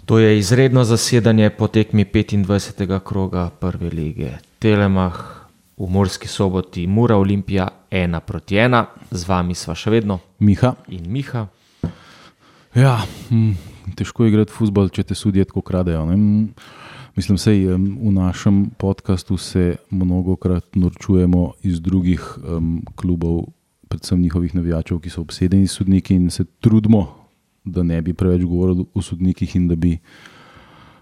To je izredno zasedanje po tekmi 25. kroga prve lige. Telemach v Murski Soboti, Mura Olimpija 1-1. Z vami sva še vedno Miha in Miha. Ja, težko je igrati fuzbol, če te sudije tako kradejo. Ne? Mislim, sej v našem podcastu se mnogokrat norčujemo iz drugih klubov, predvsem njihovih navijačev, ki so obsedeni sodniki, in se trudimo, da ne bi preveč govorili o sodnikih in da bi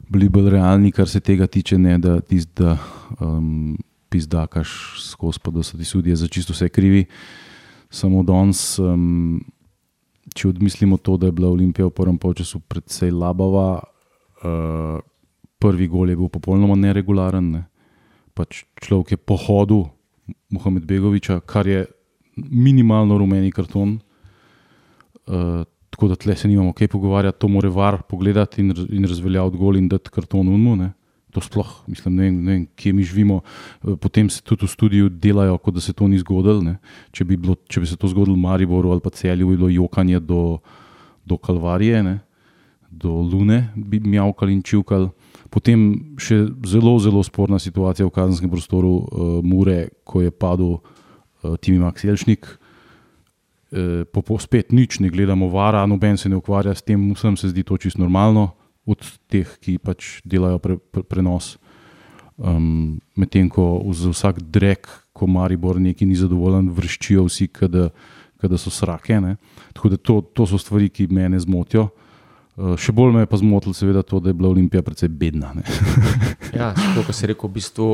bili bolj realni, kar se tega tiče, ne da pizdakaš skozi, pa da so ti sudije za čisto vse krivi. Samo danes, če odmislimo to, da je bila Olimpija v prvem polčasu precej labava, prvi gol je bil popolnoma neregularen. Ne? Pač človek je pohodil Muhamedbegoviča, kar je minimalno rumeni karton. Tako da tle se nimamo kaj pogovarjati, to mora VAR pogledati in razveljaviti gol in dati karton unmu. Ne? To sploh, mislim, ne vem, kje mi živimo. Potem se tudi v studiu delajo, kot da se to ni zgodilo. Ne? Če bi se to zgodilo v Mariboru ali pa Celju, bi bilo jokanje do Kalvarije, ne? Do Lune bi mjavkali in čivkali. Potem še zelo, zelo sporna situacija v kazenskem prostoru Mure, ko je padel Timi Max Jelšnik. Spet nič, ne gledamo VAR-a, noben se ne ukvarja s tem, vsem se zdi to čisto normalno, od teh, ki pač delajo prenos. Medtem ko za vsak drek, ko Maribor neki ni zadovoljen, vrščijo vsi, kada so srake. Ne? Tako da to so stvari, ki mene zmotijo. Še bolj me je pa zmotilo seveda to, da je bila Olimpija precej bedna. Ne? Ja, to, kar si rekel, v bistvu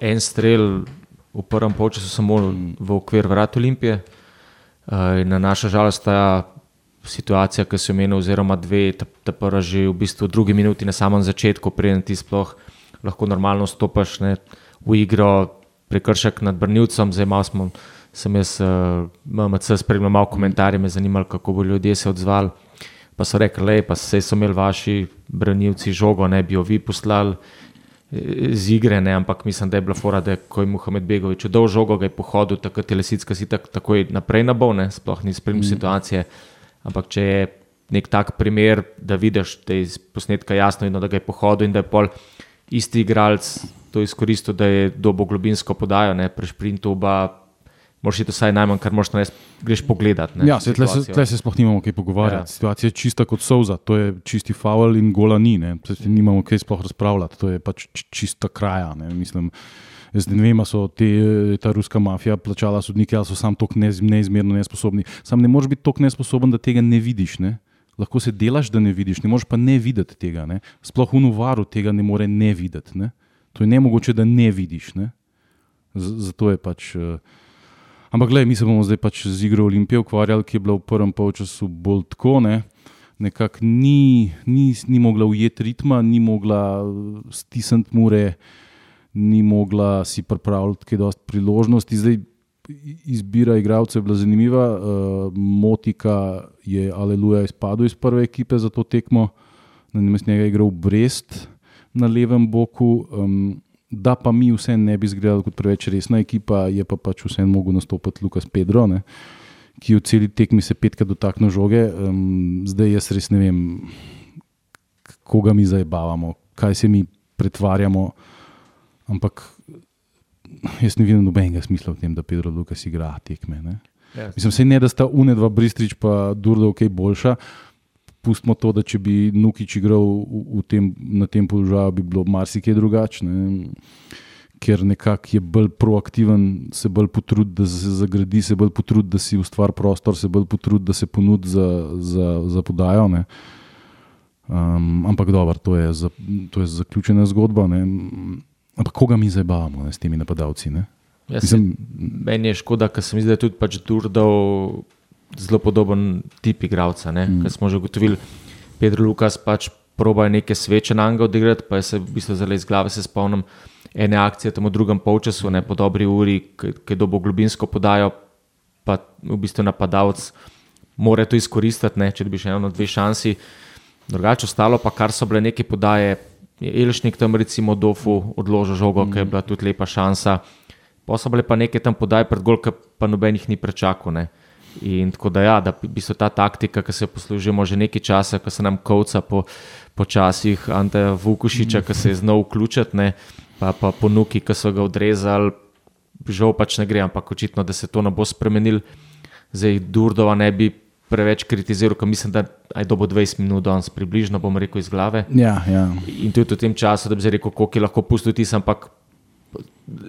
en strel v prvem polčasu samo v okvir vrat Olimpije. In na naša žalost ta situacija, ki se omenil, oziroma dve, ta prva že v bistvu v drugi minuti na samem začetku, preden ti sploh lahko normalno stopaš, ne, v igro, prekršek nad branilcem. Zdaj sem jaz MMC spremljal malo komentarje, me zanimalo, kako bo ljudje se odzvali. Pa so rekli, pa sej so imeli vaši branilci žogo, ne bi jo vi poslali z igre, ne, ampak mislim, da je bila fora, da ko je Muhamedbegovič dal žogo, ga je pohodil, takrat je Lesicka si takoj naprej nabol, ne, sploh ni spremljal situacije, ampak če je nek tak primer, da vidiš, da je iz posnetka jasno, da ga je pohodil in da je pol isti igralec to izkoristil, da je dobo globinsko podajo, ne, pri šprintu moraš iti vsaj najmanj, kar moraš narediti, greš pogledat. Ne, ja, tle se sploh nimamo kaj pogovarjati. Ja. Situacija je čista kot solza, to je čisti faul in gola ni. Ne. Nimamo kaj sploh razpravljati, to je pač čista kraja. Ne. Mislim, jaz ne vem, so ta ruska mafija plačala sodnike, ali so sam toliko neizmerno nesposobni. Sam ne moreš biti toliko nesposoben, da tega ne vidiš. Ne. Lahko se delaš, da ne vidiš, ne moreš pa ne videti tega. Ne. Sploh v VAR-u tega ne more ne videti. Ne. To je nemogoče, da ne vidiš. Ne. Zato je pač... Ampak glej, mi se bomo zdaj pač z igro Olimpije ukvarjali, ki je bila v prvem polčasu bolj tako, ne. Nekako ni mogla ujeti ritma, ni mogla stisniti Mure, ni mogla si pripravljati kaj dosti priložnosti. Zdaj izbira igralcev je bila zanimiva. Motika je aleluja izpadel iz prve ekipe za to tekmo, namesto njega je igral Brest na levem boku. Da pa mi vse ne bi izgledali kot preveč resna ekipa, je pa pač vse mogel nastopati Lukas Pedro, ne, ki v celi tekmi se 5krat dotaknil žoge. Zdaj jaz res ne vem, koga mi zajebavamo, kaj se mi pretvarjamo, ampak jaz ne vidim nobenega smisla v tem, da Pedro Lukas igra tekme. Ne. Yes. Mislim, sej ne, da sta Unedva Bristrič pa Durdov kaj boljša. Pustimo to, da če bi Nukić igral na tem položaju, bi bilo marsikaj drugačne, ker nekako je bolj proaktiven, se bolj potrudi, da se zagradi, se bolj potrudi, da si ustvari prostor, se bolj potrudi, da se ponudi za podajo. Ne. Ampak dobro, to je zaključena zgodba. Ne. Ampak koga mi zabavamo s temi napadalci? Ne. Meni je škoda, ker sem zdaj tudi pač Durdov zelo podoben tip igralca, ker smo že ugotovili, Pedro Lukas pač proba neke sveče na anga odigrati, pa je se v bistvu zelo iz glave se spomnim ene akcije tam v drugem polčasu, ne, po dobri uri, ki dobo globinsko podajo, pa v bistvu napadalec mora to izkoristiti, ne, če dobiš eno, dve šansi. Drugače ostalo pa, kar so bile neke podaje, je Elšnik tam recimo Dofu odložil žogo, ki je bila tudi lepa šansa, pa so bile pa neke tam podaje pred gol, ki pa nobenih ni prečakal, ne. In tako da ja, da v bistvu ta taktika, ki se jo poslužimo že nekaj časa, ko se nam kovca počasih Anteja Vukušiča, ki se je znal vključiti, ne, pa Ponuki, ki so ga odrezali, žal pač ne gre, ampak očitno, da se to ne bo spremenil. Zdaj Durdova ne bi preveč kritiziral, ker mislim, da je dobo 20 minut danes približno, bom rekel iz glave. Ja. In tudi v tem času, da bi zdaj rekel, koliko je lahko pustil tis, ampak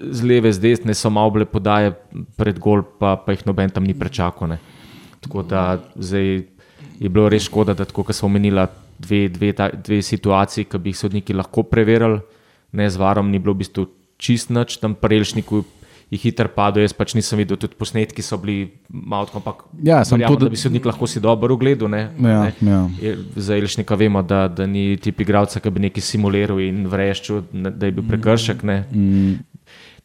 z leve, z desne so malo bile podaje pred gol, pa jih noben tam ni prečakal. Ne. Tako da zdaj je bilo res škoda, da tako, kot smo omenila, dve situaciji, ki bi jih sodniki lahko preverili, ne z varom, ni bilo v bistvu čist nič, tam pri Elšniku je hiter padel, jaz pač nisem videl, tudi posnetki so bili malo tako, ampak verjamem, da bi sodnik lahko si dobro ugledal. Za Elšnika vemo, da ni tip igralca, ki bi nekaj simuliral in vreščil, da je bil prekršek.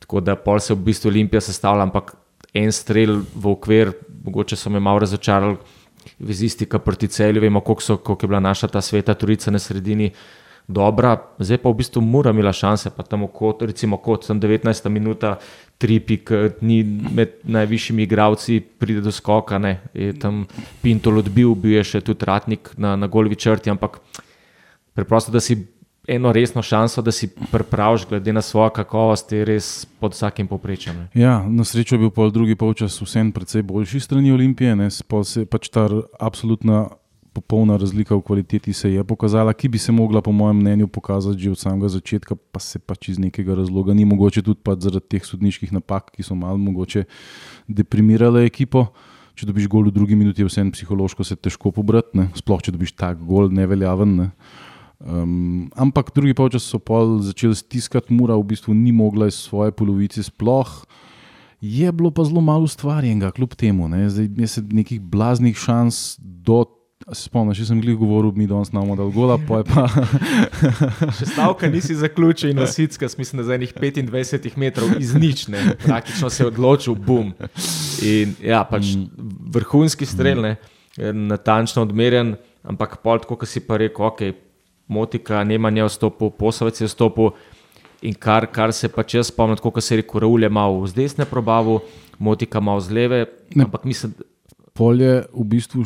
Tako da pol se v bistvu Olimpija sestavlja, ampak en strel v okvir, mogoče so me malo razočarali vezistika proti Celju, vemo, koliko je bila naša ta Sveta Trojica na sredini dobra, zdaj pa v bistvu Mura imela šanse, pa tam recimo kot 19. minuta, Tripik ni med najvišjimi igralci, pride do skoka, je tam Pintol odbil, bil je še tudi Ratnik na golvi črti, ampak preprosto, da si eno resno šanso, da si pripraviš glede na svojo kakovost, je res pod vsakim povprečjem. Ja, na srečo je bil pol drugi polčas vsem precej boljši strani Olimpije, pač ta absolutna popolna razlika v kvaliteti se je pokazala, ki bi se mogla po mojem mnenju pokazati že od samega začetka, pa se pač iz nekega razloga ni mogoče tudi pač zaradi teh sodniških napak, ki so malo mogoče deprimirale ekipo. Če dobiš gol v drugi minuti, je vsem psihološko se težko pobrati, sploh če dobiš tak gol neveljaven. Ampak drugi polčas so pol začeli stiskati, Mura v bistvu ni mogla iz svoje polovice sploh. Je bilo pa zelo malo ustvarjenega kljub temu. Zdaj je se nekih blaznih šans spomniš, jaz sem glih govoril, mi danes namo dal gola, pa je pa... Še stavka nisi zaključil in Osicka, mislim, da za enih 25 metrov iz nič, praktično se je odločil, bum. In ja, pač vrhunski strel, natančno odmerjen, ampak pol tako, ko si pa rekel, ok, Motika, Nemanja je vstopil, Posavec je vstopil in kar se pač jaz spomnim, tako, ko se je rekel, Raul je malo z desne probavil, Motika malo z leve, ampak mislim... Polje v bistvu...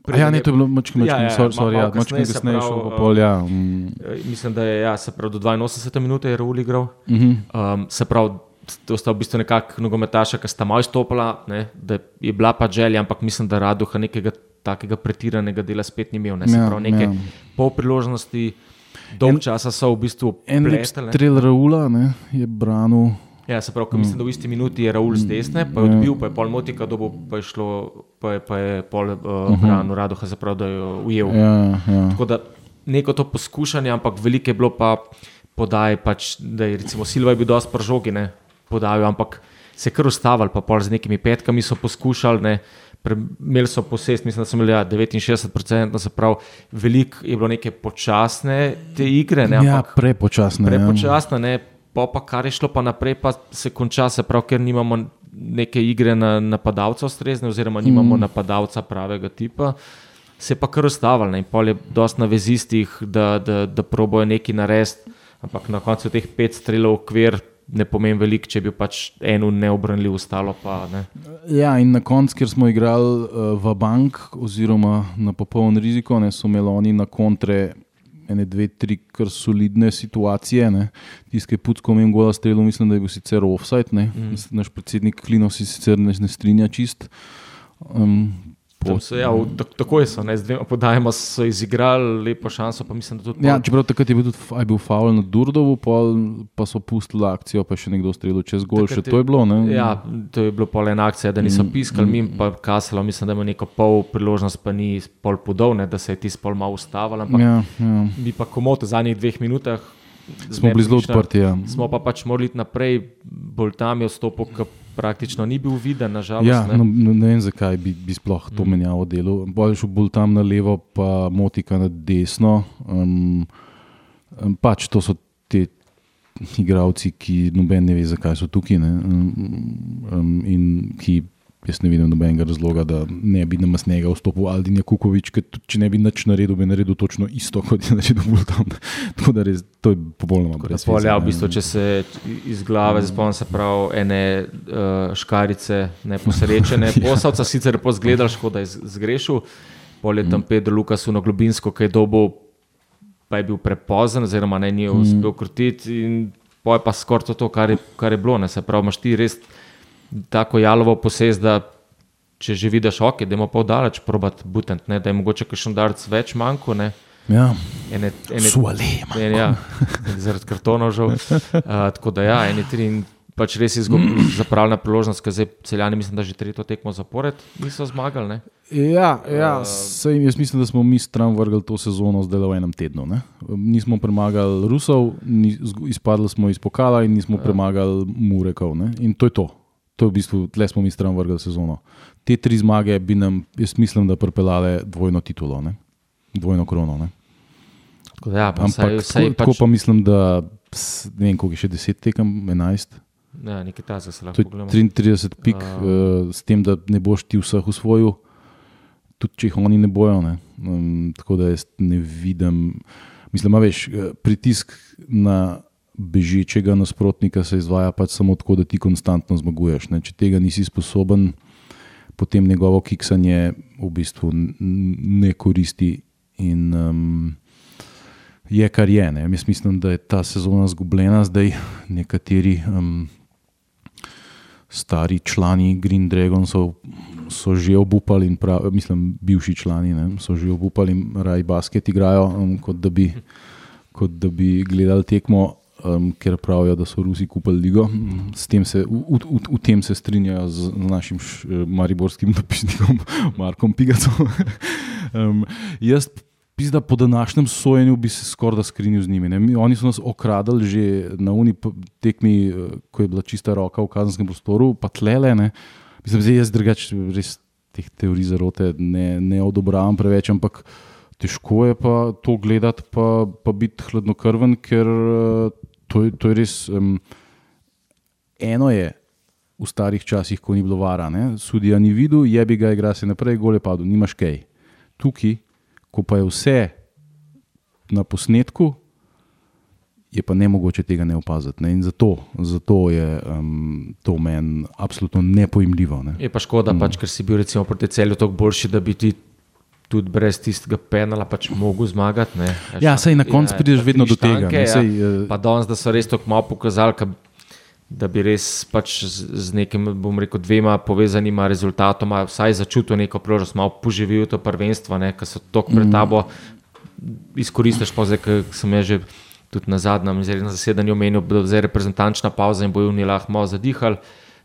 to je bilo mačke kasneje šel po polje. Mislim, da je se pravi do 82 minute je Raul igral. Se pravi, to sta v bistvu nekak nogometaša, ki sta malo izstopila, da je bila pa želja, ampak mislim, da Raduha nekega takega pretiranega dela spet ni imel. Se pravi, neke pol priložnosti, dolg časa so v bistvu plestali. En strel Raula je branil... Ja, se pravi, mislim, da v isti minuti je Raul z desne, pa je odbil, pa je pol Motika dobil, pa je pol branil Radoha, zapravo, da je ujel. Tako da neko to poskušanje, ampak veliko je bilo pa podaj, pač, da je recimo Silva je bil dosti pri žogi, podajal, ampak se je kar ustavili, pa pol z nekimi petkami so poskušali, imeli so posest, mislim, da so imeli 69%, se pravi, veliko je bilo neke počasne te igre. Ampak prepočasne, pa kar je šlo pa naprej, pa se konča, se pravi, ker nimamo neke igre na napadalca ustrezne, oziroma nimamo napadalca pravega tipa, se je pa kar ustavili. In pol je dosti na vezistih, da probojo nekaj narediti, ampak na koncu teh 5 strelov okvir ne pomeni veliko, če bi pač eno neobranljiv ostalo pa ne. Ja, in na koncu, ker smo igrali v bank oziroma na popoln riziko, so imeli oni na kontre 1, 2, 3 kar solidne situacije. Tiskaj Pucko imel gola strelu, mislim, da je bil sicer offside. Naš predsednik Klino si sicer ne strinja čist. Tako je so, z dvema podajama so izigrali lepo šanso, pa mislim, da tudi... Ja, čeprav takrat je bil faul na Durdovu, pa so pustili akcijo, pa še nekdo strelil čez gol, še to je bilo, Ja, to je bilo pol ena akcija, da niso piskali, mim pa Kaselo, mislim, da ima neko pol priložnost, pa ni pol podol, da se je tis pol malo ustavil, ampak bi pa komot v zadnjih 2 minutah smo bili zelo odprti, Smo pa pač morali iti naprej, bolj tam je vstopil, ki praktično ni bil viden, nažalost. Ja, ne vem, zakaj bi sploh to menjavo delo. Bolj tam na levo, pa Motika na desno. Pač to so te igralci, ki noben ne ve, zakaj so tukaj. In ki jaz ne vidim nobenega razloga, da ne bi na Masnega vstopil Aldin Jakukovič, ker če ne bi nič naredil, bi naredil točno isto, kot je naredil Bultam. Tako da res, to je popolnoma brez veze. V bistvu, če se iz glave spomnim, se pravi ene škarice neposrečene. Posavca sicer je pozgledal, škoda je zgrešil. Pol je tam Pedro Lukasu na Globinsko, ki je dobil pa je bil prepozen, oziroma ne je uspel krutiti in poje pa skoraj to, kar je bilo. Ne? Se pravi, imaš ti res tako jalovo posest, da če že vidiš, da imamo pol daleč probat butent, ne? Da je mogoče kakšen darc več manjko, ne? Ja, Suale manjko. Ja, zaradi kartonov žal. Tako da ja, eni tri in pač res je zapravljena priložnost, ker zdaj Celjani mislim, da že tretjo tekmo zapored niso zmagali, ne? Ja, sej, jaz mislim, da smo mi stran vrgli to sezono zdaj v enem tednu. Ne? Nismo premagali Rusov, izpadli smo iz pokala in nismo premagali Murekov. Ne? In to je to. To je v bistvu, tle smo mi stran vrgli sezono. Te 3 zmage bi nam, jaz mislim, da pripeljale dvojno titulo, ne? Dvojno krono. Ne? Tako da ja, pa ampak tako pa mislim, da ne vem, koliko je še 10 tekem, 11. Ja, nekaj tazga se lahko pogledamo. 33 pik, s tem, da ne boš ti vseh usvojil, tudi če jih oni ne bojo. Ne? Tako da jaz ne vidim, mislim, veš, pritisk na bežečega nasprotnika se izvaja pač samo tako, da ti konstantno zmaguješ. Ne? Če tega nisi sposoben, potem njegovo kiksanje v bistvu ne koristi in je kar je. Ne? Jaz mislim, da je ta sezona zgubljena zdaj. Nekateri stari člani Green Dragonsov so že obupali, mislim, bivši člani, ne, so že obupali in raj basket igrajo, kot da bi gledali tekmo, ker pravijo, da so Rusi kupili ligo. V tem se strinjajo z našim mariborskim dopisnikom Markom Pigacom. Jaz da po današnjem sojenju bi se skoraj da skrinil z njimi. Ne? Oni so nas okradali že na uni tekmi, ko je bila čista roka v kazenskem prostoru, pa tlele. Ne? Mislim, da jaz drugače res teh teorij zarote ne odobravam preveč, ampak težko je pa to gledati pa biti hladnokrven, ker to je res eno je v starih časih, ko ni bilo vara. Ne? Sudija ni videl, jebi ga, igra se naprej, gol je padel, nimaš kaj. Tukaj, ko pa je vse na posnetku, je pa nemogoče tega ne opaziti. Ne? In zato je to meni absolutno nepojmljivo. Ne? Je pa škoda, pač, ker si bil recimo proti Celju toliko boljši, da bi ti tudi brez tistega penala pač mogel zmagati. Ne? Ja, sej na koncu prideš vedno do tega. Pa danes, da so res toliko malo pokazali, da bi res pač z nekim, bom rekel, 2 povezanima rezultatoma vsaj začutil neko priložnost, malo poživil to prvenstvo, ker so toliko pred tabo, izkoristiš pa zdaj, ker sem jaz že tudi na zadnjem zasedanju omenil, da je reprezentančna pauza in bojo oni lahko malo zadihali.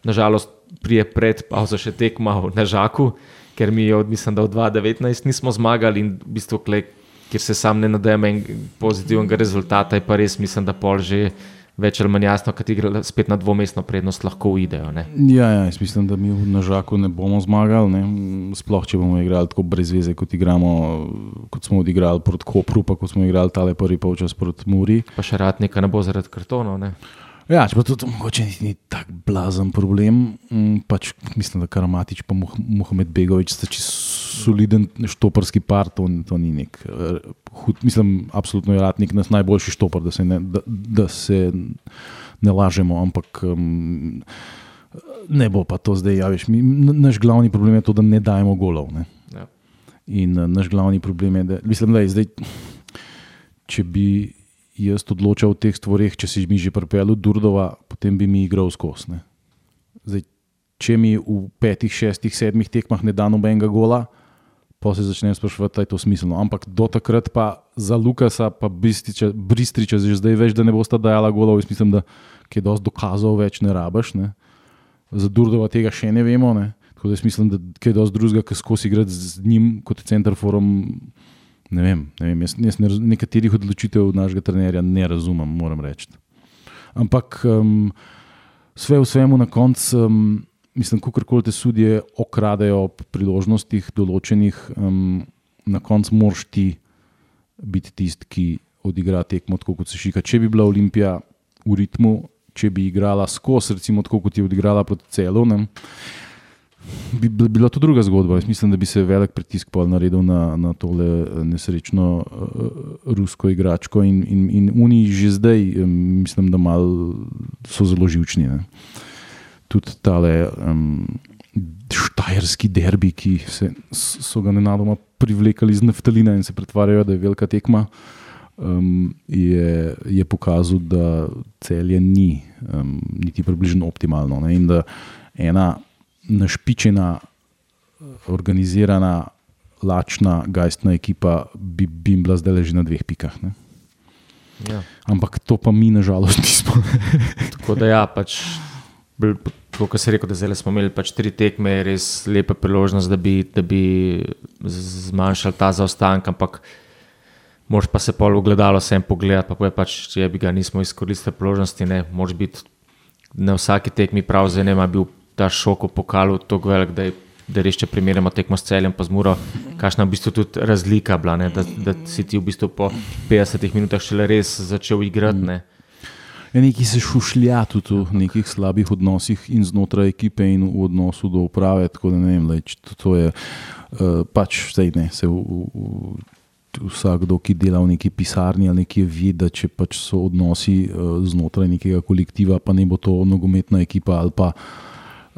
Nažalost, prije pred pauzo še tekma na Žaku, ker mi je mislim, da v 2019 nismo zmagali in v bistvu, kjer se sam ne nadejam pozitivnega rezultata, je pa res mislim, da pol že več ali manj jasno, kad igra spet na dvomestno prednost, lahko uidejo. Ja, jaz mislim, da mi na Žaku ne bomo zmagali, ne? Sploh, če bomo igrali tako brez veze, kot smo odigrali proti Kopru, pa kot smo igrali tale prvi polčas proti Muri. Pa še Ratnika ne bo zaradi kartonov, ne? Ja, če pa to mogoče ni tak blazen problem, pač mislim, da Karamatič pa Mohamed Begović sta čisto soliden štoparski par, to ni nek hud, mislim, absolutno je Ratnik nas najboljši štopar, da se ne lažemo, ampak ne bo pa to zdaj, ja veš, naš glavni problem je to, da ne dajemo golov, ne. Ja. In naš glavni problem je, da mislim, da je zdaj, če bi jaz odločal v teh stvareh, če si mi že pripeljal Durdova, potem bi mi igral skozi. Zdaj, če mi v 5, 6, 7 tekmah ne da nobenega gola, pa se začnem spraševati, da je to smiselno. Ampak do takrat pa za Lukasa pa Bristriča že zdaj veš, da ne bosta dajala golov. Jaz mislim, da je dosti dokazov več ne rabaš. Ne? Za Durdova tega še ne vemo. Ne? Tako da jaz mislim, da je dosti drugega, ki skozi igrati z njim kot centerforom. Ne vem, jaz nekaterih odločitev našega trenerja ne razumem, moram reči. Ampak sve v svemu na koncu, mislim, kakorkoli te sudije okradejo ob priložnostih določenih, na koncu moraš ti biti tisti, ki odigra tekmo tako, kot se šika. Če bi bila Olimpija v ritmu, če bi igrala skozi, recimo tako, kot je odigrala proti Celju, bi bila to druga zgodba. Jaz mislim, da bi se velik pritisk naredil na tole nesrečno rusko igračko in oni že zdaj, mislim, da malo so zelo živčni. Ne. Tudi tale štajerski derbi, ki so ga nenadoma privlekali iz naftalina in se pretvarjajo, da je velika tekma. je pokazal, da Celje ni niti približno optimalno, ne? In da ena našpičena, organizirana, lačna, gajstna ekipa bi bila zdaj že na 2 pikah. Ne? Ja. Ampak to pa mi nažalost nismo. Tako da ja, pač, kot se rekel, da zdaj smo imeli pač 3 tekme, res lepa priložnost, da bi zmanjšali ta zaostanek, ampak moraš pa se pol ogledalo vsem pogledati, pa pač, če bi ga nismo izkoristili priložnosti, ne, moraš biti na vsaki tekmi prav, zdaj ne, bil ta šok v pokalu tako velik, da res, če primerjamo tekmo s Celjem pa z Muro, kakšna v bistvu tudi razlika bila, ne, da si ti v bistvu po 50 minutah šele res začel igrati. Ne. Nekaj se šušlja tudi v nekih slabih odnosih in znotraj ekipe in v odnosu do uprave, tako da ne vem, to je pač vsej ne, se vsakdo, ki dela v neki pisarni ali nekje vidi, da če pač so odnosi znotraj nekega kolektiva, pa ne bo to nogometna ekipa ali pa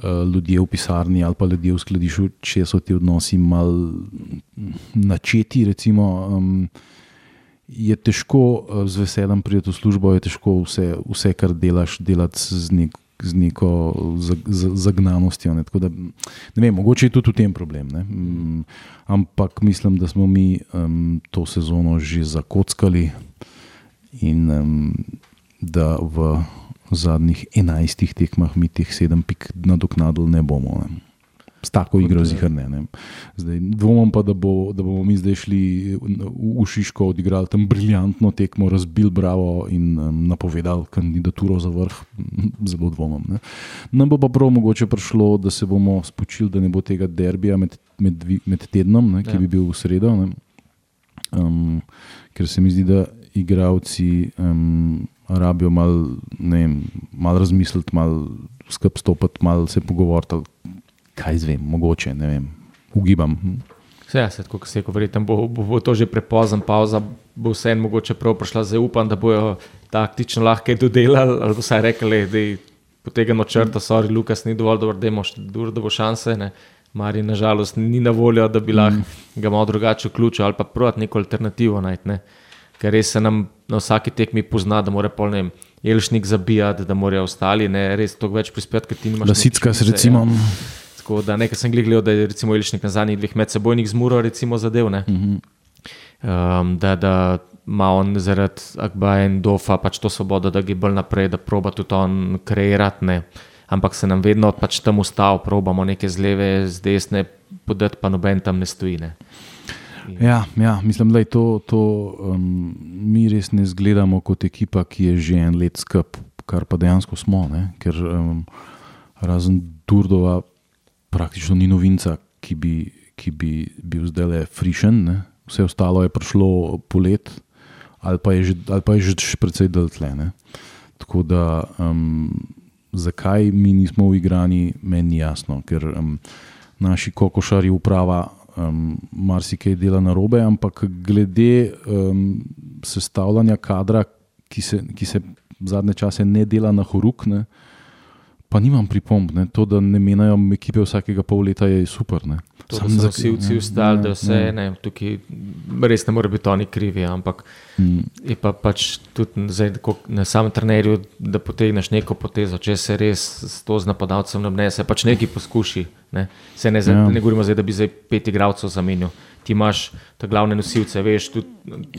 ljudje v pisarni ali pa ljudje v skladišču, če so ti odnosi mal načeti, recimo, je težko z veseljem priti v službo, je težko vse kar delaš, delati z neko zagnanostjo. Ne? Tako da, ne vem, mogoče je tudi v tem problem. Ne? Ampak mislim, da smo mi to sezono že zakockali in da v zadnjih 11 tekmah mi teh 7 pik nadoknadili ne bomo. Ne? S tako igro zihar ne. Zdaj, dvomim pa, da bomo mi zdaj šli v Šiško, odigrali tam briljantno tekmo, razbil Bravo in napovedali kandidaturo za vrh. Zelo dvomim. Ne. Nam bo pa prav mogoče prišlo, da se bomo spočili, da ne bo tega derbija med tednom, ne, ki bi bil v sredo. Ne. Ker se mi zdi, da igralci rabijo malo razmisliti, malo skup stopiti, malo se pogovoriti. Kaj zvem, mogoče, ne vem, ugibam. Ja, tako kot se je verjetno, bo to že prepozen, pauza bo vseeno mogoče prav prišla, zdaj upam, da bojo taktično lahko dodelali, ali vsaj rekli, da potegamo črto, sorry, Lukas ni dovolj dober, da bo šanse, ne. Mari nažalost ni na voljo, da bi lahko ga malo drugače vključil ali pa provat neko alternativo najti, ne. Ker res se nam na vsaki tekmi pozna, da mora pol, ne vem, Elšnik zabijati, da morajo ostali, ne, res toliko več prispeti, ker ti nimaš... Lasicka se recimo... Tako da nekaj sem gledal, da je recimo Elšnik na zadnjih 2 medsebojnih z Muro recimo zadev, ne. Da ima on zaradi Akbaja in Dofa pač to svobodo, da gre bolj naprej, da proba tudi on kreirati, ne. Ampak se nam vedno pač tam ustav, probamo neke z leve, z desne podati, pa noben tam ne stoji, ne. Ja, mislim, da je to mi res ne zgledamo kot ekipa, ki je že en let skup, kar pa dejansko smo, ne. Ker razen Durdova praktično ni novinca, ki bi bil zdajle frišen, ne. Vse ostalo je prišlo polet ali pa je že precej deltle, ne. Tako da zakaj mi nismo uigrani, meni ni jasno, ker naši kokošarji uprava marsikaj dela narobe, ampak glede sestavljanja kadra, ki se zadnje čase ne dela na horuk, ne, pa nimam pripomb, ne. To, da ne menjajo ekipe vsakega pol leta, je super. Ne. To, da so vsi ostali, da vse, ne, tukaj res ne more biti oni krivi, ampak je pa pač tudi zdaj, na samem trenerju, da potegneš neko potezo, če se res s to z napadalcem nabnese, pač nekaj poskuši. Ne. Se ne govorimo zdaj, da bi zdaj 5 igralcev zamenil. Ti imaš ta glavne nosilce, veš, tudi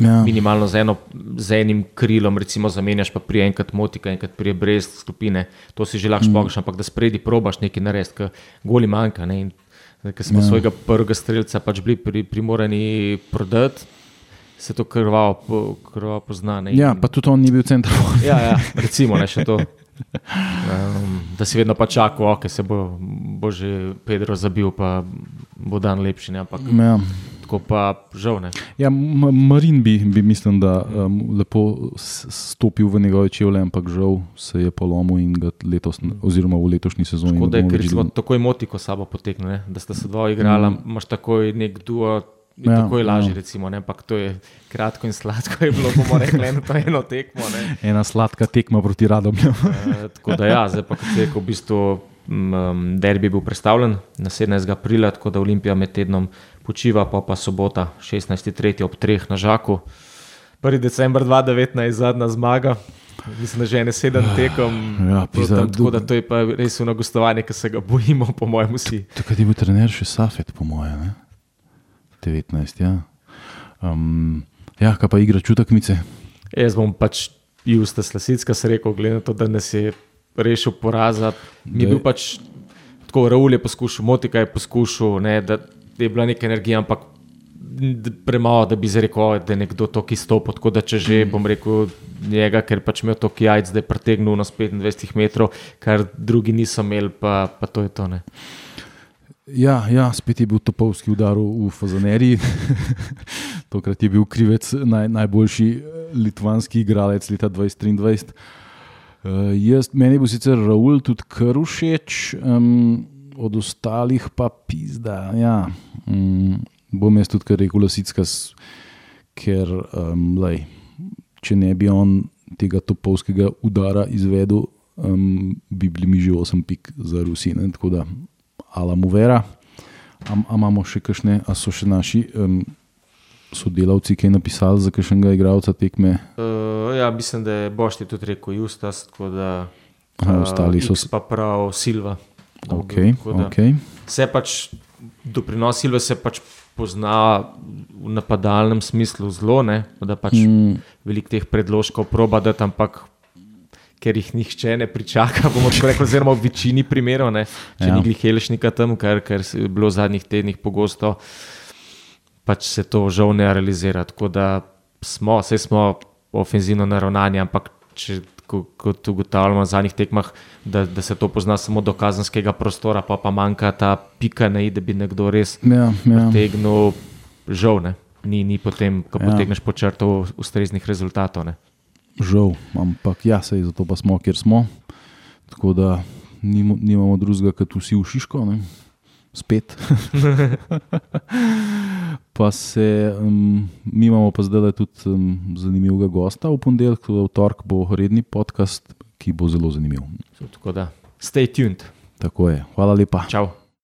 minimalno z enim krilom, recimo zamenjaš, pa prije enkrat Motika, enkrat prije brez skupine, to si že lahko špogaš, ampak da spredi probaš nekaj narediti, ker goli manjka, ne, in ker smo svojega prvega strelca pač bili primorani prodati, se to krvavo pozna. Ne, ja, pa tudi on ni bil center. Ja, recimo, ne, še to. Da si vedno pa čakal, ok, se bo že Pedro zabil, pa bo dan lepši, ne, ampak tako pa žal, ne. Ja, Marin bi mislim, da lepo stopil v njegove čevlje, ampak žal se je polomil in ga letos, oziroma v letošnji sezoni. Tako da je, ker recimo takoj Motiko sabo potekne, ne, da sta se dva igrala, imaš takoj nek duo, in tako je lažje, recimo, ne, ampak to je kratko in sladko je bilo, bomo rekli, eno tekmo, ne. Ena sladka tekma proti Radomlju. Tako da ja, zdaj pa kot se je v bistvu derbi bil predstavljen na 17. aprila, tako da Olimpija med tednom počiva, pa sobota 16.3. ob 3 na Žaku. 1. december 2019, zadnja zmaga. Mislim, da že 7 tekem. Tako da to je pa res ono gostovanje, ki se ga bojimo, po mojem vsi. Takrat je bil trener še Safet, po mojem, 19, ja. Kaj pa igra čutakmice? Jaz bom pač Justa Slasicka se rekel, glede na to, da nas je rešil poraza. Mi je bil pač tako, Raul je poskušal, Motika je poskušal, da je bila neka energija, ampak premalo, da bi rekel, da je nekdo to izstopil, tako da če že bom rekel njega, ker pač imel to jajc, da je pretegnil na 25 metrov, kar drugi niso imeli, pa to je to. Ne. Ja, spet je bil topovski udar v Fazaneriji. Tokrat je bil krivec najboljši litvanski igralec leta 2023. Meni je bil sicer Raul tudi kar všeč, od ostalih pa pizda, ja. Bom jaz tudi kar rekel Lasickas, ker če ne bi on tega topovskega udara izvedel, bi bili mi že 8 pik za Rusi, tako da ala mu vera. Imamo še kakšne, a so še naši sodelavci kaj napisali za kakšnega igralca tekme? Ja, mislim, da je Bošti tudi rekel Justas, tako da ostali so pa prav Silva. Okay. Se pač doprinos Silva se pač pozna v napadalnem smislu zelo, da pač veliko teh predložkov proba dati, ampak ker jih nihče ne pričaka, bomo tako rekli, oziroma v večini primerov, če ni glih Helešnika tam, ker je bilo v zadnjih tednih pogosto, pač se to žal ne realizira. Tako da smo ofenzivno naravnani, ampak kot ugotavljamo v zadnjih tekmah, da se to pozna samo do kazenskega prostora, pa manjka ta pika na i, da bi nekdo res potegnil, žal, ni potem, ko potegneš po črtu ustreznih rezultatov. Žal, ampak sej zato pa smo, kjer smo, tako da nimamo drugega, kot vsi v Šiško, spet. Pa mi imamo pa zdaj tudi zanimivega gosta v ponedeljek, v torek bo redni podcast, ki bo zelo zanimiv. Tako da, stay tuned. Tako je, hvala lepa. Čau.